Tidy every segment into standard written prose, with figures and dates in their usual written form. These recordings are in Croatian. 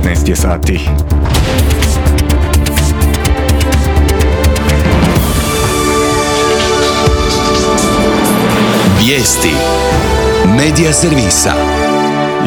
19 je sati. Vijesti Medija servisa.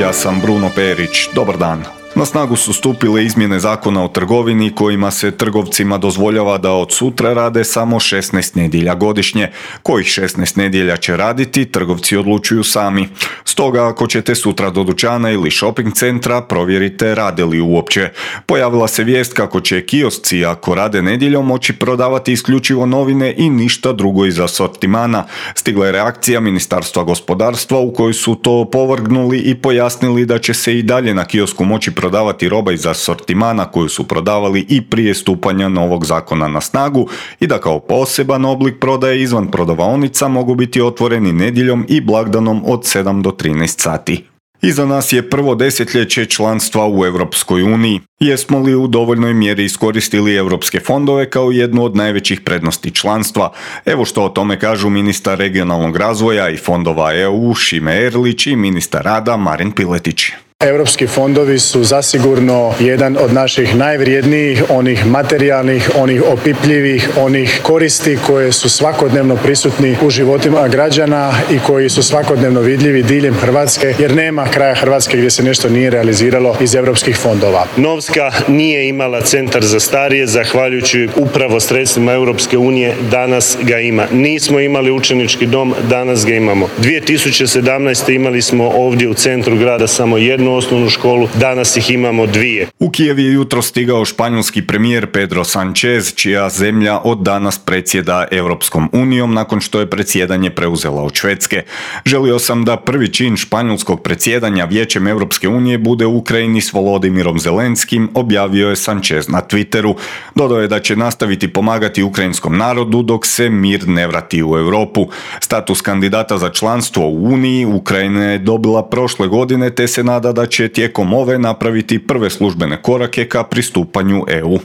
Ja sam Bruno Perić. Dobar dan. Na snagu su stupile izmjene zakona o trgovini kojima se trgovcima dozvoljava da od sutra rade samo 16 nedjelja godišnje. Kojih 16 nedjelja će raditi, trgovci odlučuju sami. Stoga ako ćete sutra do dućana ili shopping centra, provjerite rade li uopće. Pojavila se vijest kako će kiosci, ako rade nedjeljom, moći prodavati isključivo novine i ništa drugo iz asortimana. Stigla je reakcija Ministarstva gospodarstva u kojoj su to opovrgnuli i pojasnili da će se i dalje na kiosku moći prodavati roba iz asortimana koju su prodavali i prije stupanja novog zakona na snagu i da kao poseban oblik prodaje izvan prodavaonica mogu biti otvoreni nedjeljom i blagdanom od 7 do 13 sati. Iza nas je prvo desetljeće članstva u Europskoj uniji. Jesmo li u dovoljnoj mjeri iskoristili europske fondove kao jednu od najvećih prednosti članstva? Evo što o tome kažu ministar regionalnog razvoja i fondova EU Šime Erlić i ministar rada Marin Piletić. Europski fondovi su zasigurno jedan od naših najvrijednijih, onih materijalnih, onih opipljivih, onih koristi koje su svakodnevno prisutni u životima građana i koji su svakodnevno vidljivi diljem Hrvatske, jer nema kraja Hrvatske gdje se nešto nije realiziralo iz europskih fondova. Novska nije imala centar za starije, zahvaljujući upravo sredstvima Europske unije, danas ga ima. Nismo imali učenički dom, danas ga imamo. 2017. imali smo ovdje u centru grada samo jednu osnovnu školu, danas ih imamo dvije. U Kijev je jutro stigao španjolski premijer Pedro Sánchez, čija zemlja od danas predsjeda Europskom unijom nakon što je predsjedanje preuzela od Švedske. Želio sam da prvi čin španjolskog predsjedanja Vijećem Europske unije bude u Ukrajini s Volodimirom Zelenskim, objavio je Sánchez na Twitteru. Dodao je da će nastaviti pomagati ukrajinskom narodu dok se mir ne vrati u Europu. Status kandidata za članstvo u Uniji Ukrajina je dobila prošle godine te se nada da će tijekom ove napraviti prve službene korake ka pristupanju EU.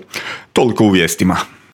Toliko u vijestima.